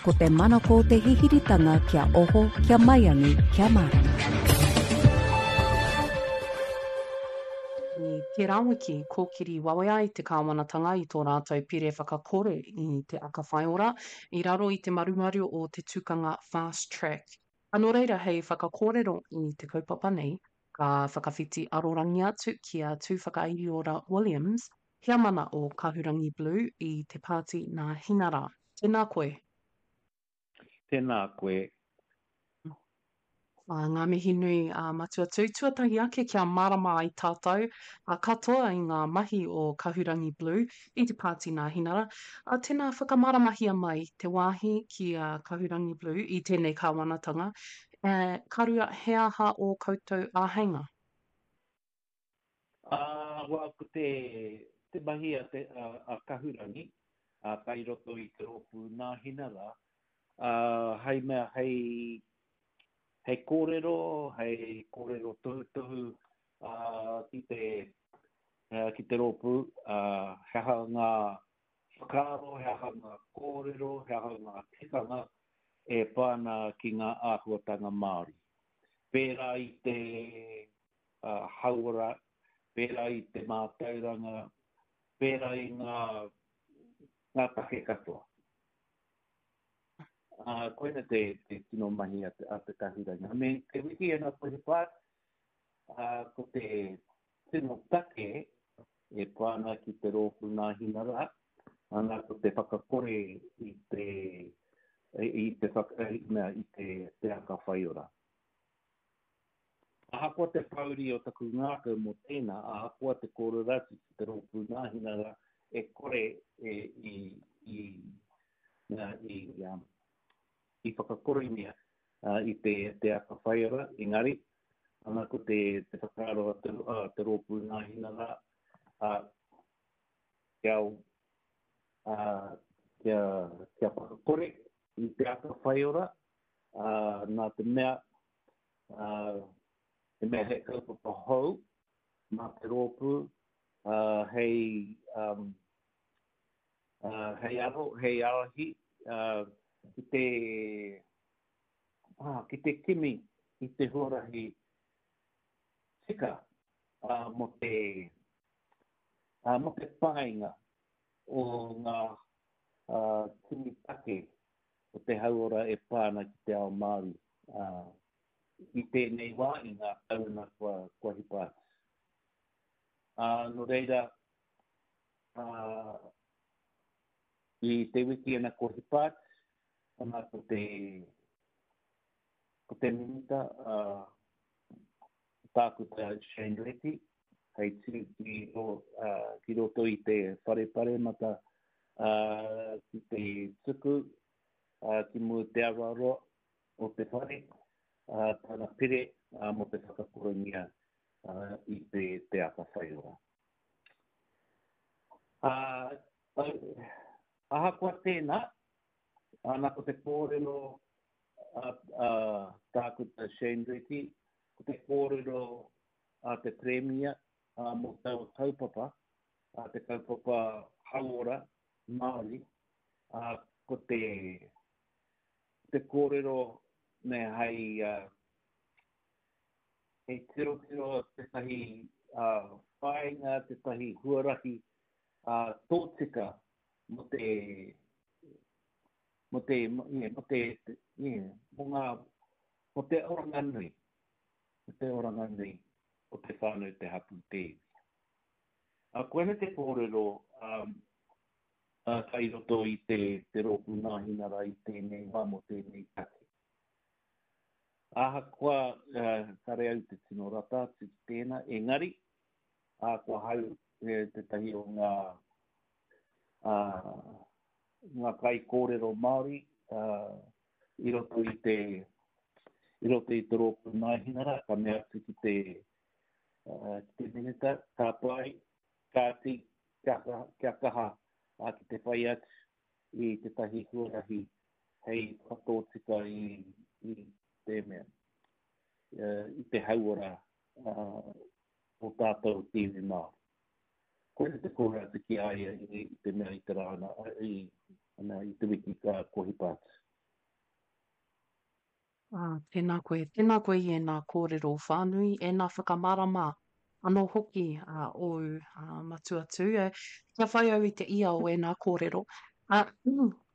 Ko te manako o te hihiritanga kia oho, kia maiangi, kia mārama. I tērā wiki, kōkiri wawe ai te kāwanatanga i tō rātou pire whakakore i te aka whaiora i raro i te marumaru o te tukanga Fast Track. A nō reira, hei whakakōrero i te kaupapa nei, ka whakawhiti arorangi atu ki a Tūwhakairiora Williams, Heamana o Kahurangi Blue i te pāti nā Hinara. Tēnā koe. Tēnā koe. Ā, ngā mihi nui a Matua Tū. Tuatahi ake kia mārama ai tātou katoa i ngā mahi o Kahurangi Blue i te pāti nā Hinara. Ā, tēnā whakamāramahia mai te wāhi ki a Kahurangi Blue i tēnei kāwanatanga. Ā, ka rua, he aha ō koutou āheinga? Ā, well, ko te, te mahi a te, a, a Kahurangi, ā, kai roto i te rōpū Nāhinara, ā, hei mea, hei, hei kōrero, hei kōrero tohutohu, ā, ki te, ā, ki te rōpū, ā, he aha ngā whakaaro, he aha ngā kōrero, he aha ngā tikanga e pā ana ki ngā āhuatanga Māori. Pērā i te, hauora, pērā i te mātauranga, pērā i ngā, ngā take katoa. Ā, koina te, te tino mahi a te, a te kahurangi. I mean, te wiki ana ko he part, ā, ko te tino take e pā ana ki te rōpū Nāhinara, ana ko te whakakore i te, i te, whaka, i, mea, i te, te aka whaiora. Ahakoa te pōuri o taku ngākau mō tēnā, ahakoa te kōrero atu ki te Rōpū Nāhinara e kore e i, i, i, i whakakorengia i te, te aka whaiora, engari, ana ko te, te whakaaro a te, a te Rōpū Nāhinara, a, kia, a, kia, kia whakakore i te aka whaiora, ā, nā te mea, ā, he mea he kaupapa hou mā te rōpū, ā, hei, um, ā, hei aro, hei ārahi, ā, ki te, ā, ki te kimi i te huarahi tika, ā, mō te, ā, mō te painga o ngā, ā, tini take o te hauora e pā ana ki te ao Māori i tēnei wā, i ngā tauna kua, kua hipa atu. Ā, nō reira, ā, i te wiki ana kua hipa atu, ana ko te, ko te minita, ā, Tākuta Shane Reti, hei tū ki, ro, ā, ki roto i te whare paremata ā, ki te tuku ā, ki mua te aroaro o te whare, ā, tana pire ā, mō te whakakorengia ā, i te, te aka whaiora. Ā, ahakoa tēnā, ana ko te kōrero a, a Tākuta Shane Reti, ko te kōrero a te Pirimia mō taua kaupapa, a te kaupapa hauora Māori, ā, ko te, te kōrero me hei, hei tirotiro tētahi whāinga, tētahi huarahi tōtika mō te, mō te, mō te, mō ngā, mō te oranga nui, mō te oranga nui o te whānau, te hapū, te iwi. Ā, koinei te kōrero kai roto i te, te rōpū Nāhinara i tēnei wā mō tēnei take. Ahakoa kare au te tino rata atu ki tēnā, engari, ahakoa hau tētahi o ngā, ngā kaikōrero Māori i roto i te, i roto i te rōpū Nāhinara, ka mea atu ki te, ki te Minita, ka pai, kāti, kia kaha, kia kaha ki te whai atu i tētahi huarahi hei whakatōtika i, i te mea, i te hauora o tātou te iwi Māori. Koina te kōrero atu ki a ia i te mea i te rā, i, i te wiki ka kua hipa atu. Ā, tēnā koe, tēnā koe i ēnā kōrero whānui, ēnā whakamārama anō hoki a ōu matua tū. E, kia whai au i te ia o ēnā kōrero. Ā,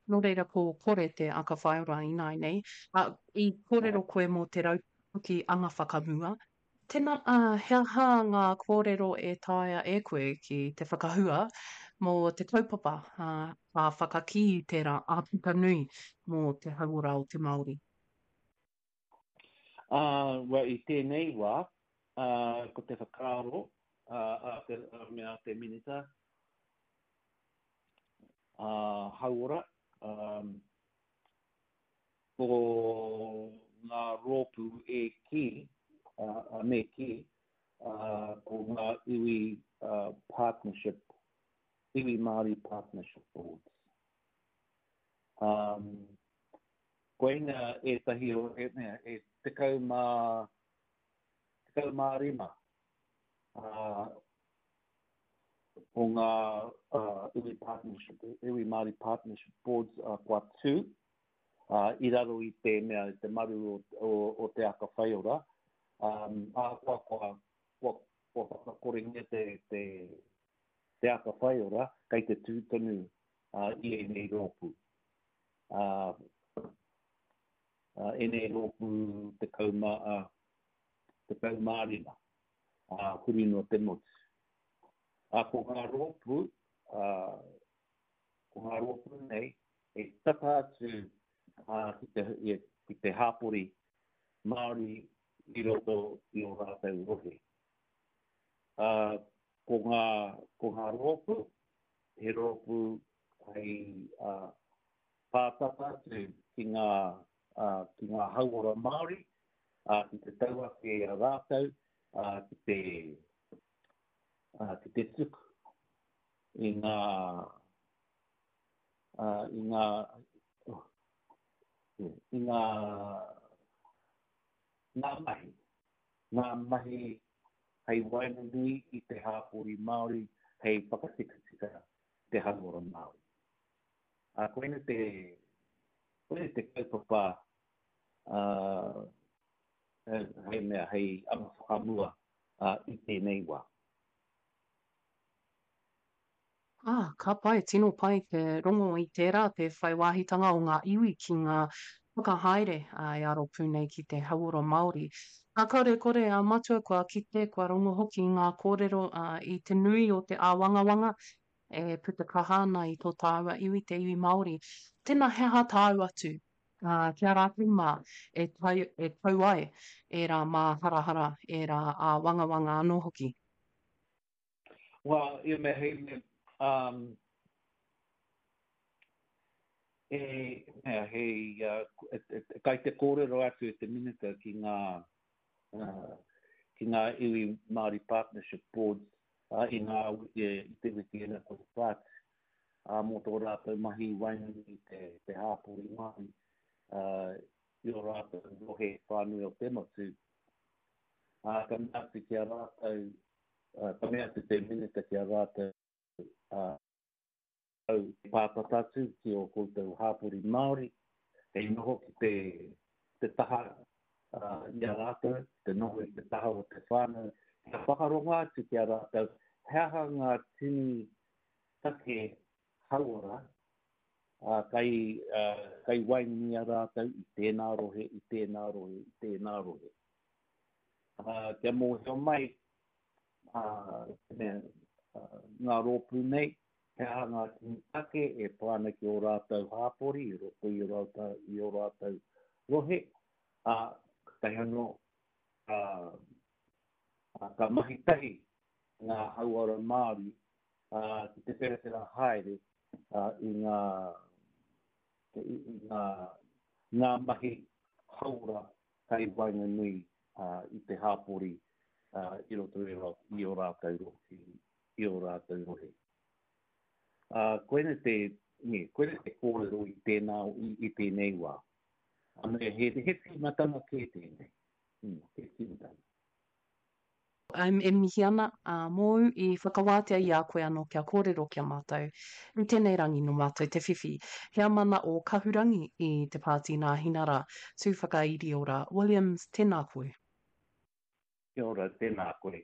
nō reira ko Kore te aka whaiora ināinei. Ā, i kōrero koe mō te rautaki anga whakamua. Tēnā, ā, he aha ngā kōrero e taea e koe ki te whakahua mō te kaupapa, ā, ka whakakī i tērā āputa nui mō te hauora o te Māori? Ā, well, i tēnei wā, ā, ko te whakaaro, ā, a te, a mea te Minita, ā, Hauora, ā, ko ngā rōpū e kī, me kī, ko ngā iwi partnership, iwi Māori partnership boards. Um, koina ētahi o, e, mea, e 10, 15 uh, o ngā uh, iwi partnership, iwi Māori partnership boards uh, kua tū, uh, i raro i te mea, i te maru o, o, o te aka whaiora, um, ahakoa kua, kua, kua whakakorengia te, te, te aka whaiora, kei te tū tonu uh, i ēnei rōpū. Uh, uh, ēnei rōpū 10, uh, 15, uh, huri noa te motu. Uh, ko ngā rōpū, uh, ko ngā rōpū nei, e tata atu ki te, ki te hāpori Māori i roto i ō rātou rohe. Uh, ko ngā, ko ngā rōpū, he rōpū hei uh, pātata atu ki ngā, uh, ki ngā hauora Māori, uh, ki te tau ake i a rātou, uh, ki te, uh, ki te tuku i ngā, i ngā, i ngā, ngā mahi, ngā mahi hei waenganui i te hāpori Māori, hei whakatikatika te hauora Māori. Ā, koina te, koina te kaupapa uh, hei mea, hei anga whakamua uh, i tēnei wā. Ā, ka pai, tino pai te rongo i tērā, te whai wāhitanga o ngā iwi ki ngā whakahaere e aro pū nei ki te hauora Māori. Ā, kāore e kore, ā, Matua, kua kite, kua rongo hoki i ngā kōrero, ā, i te nui o te āwangawanga e puta kaha ana i tō tāua iwi, te iwi Māori. Tēnā, he aha tāu atu, ā, ki a rātou mā e tau, e tau ai ērā māharahara, ērā āwangawanga anō hoki? Well, ia mea hei mea, um, e, mea, hei, uh, e, e, e, kai te kōrero atu e te Minita ki ngā, uh, ki ngā iwi Māori Partnership Boards uh, i ngā wiki, i te wiki ena ko te whātu, uh, mō tō rātou mahi waenganui i te, te hāpori Māori, uh, i o rātou rohe whānui o te motu, ā, ka mea atu ki a rātou, ā, ka mea atu te minita ki a rātou, ā, au pātata atu ki ō koutou hāpori Māori, hei noho ki te, te taha ā, i a rātou, te noho i te taha o te whānau, kia whakarongo atu ki a rātou, he aha ngā tini take hauora, ā, kai, ā, kai waenganui i a rātou i tēnā rohe, i tēnā rohe, i tēnā rohe. Ā, kia mōhio mai, ā, te mea, ā, ngā rōpū nei, he aha ngā tini take e pā ana ki ō rātou hāpori i roto i ō rātou, i ō rātou rohe, ā, kātahi anō, ā, ā, ka mahi tahi ngā hauora Māori, ā, ki te wherawhera haere, ā, i ngā, i, i ngā, ngā mahi hauora kai waenganui i te hāpori i roto i ō rātou rohe, i ō rātou rohe. Ā, koina te, nē, koina te kōrero i tēnā, i, i tēnei wā. Ā, me, he, he tīmatanga kē tēnei. Mm, he tīmatanga. E mihi ana, ā, mōu i whakawātea i a koe anō kia kōrero ki a mātou. I tēnei rangi nō mātou te whiwhi heamana o Kahurangi i te Pāti Nāhinara, Tūwhakairiora Williams, tēnā koe. Kia ora, tēnā koe.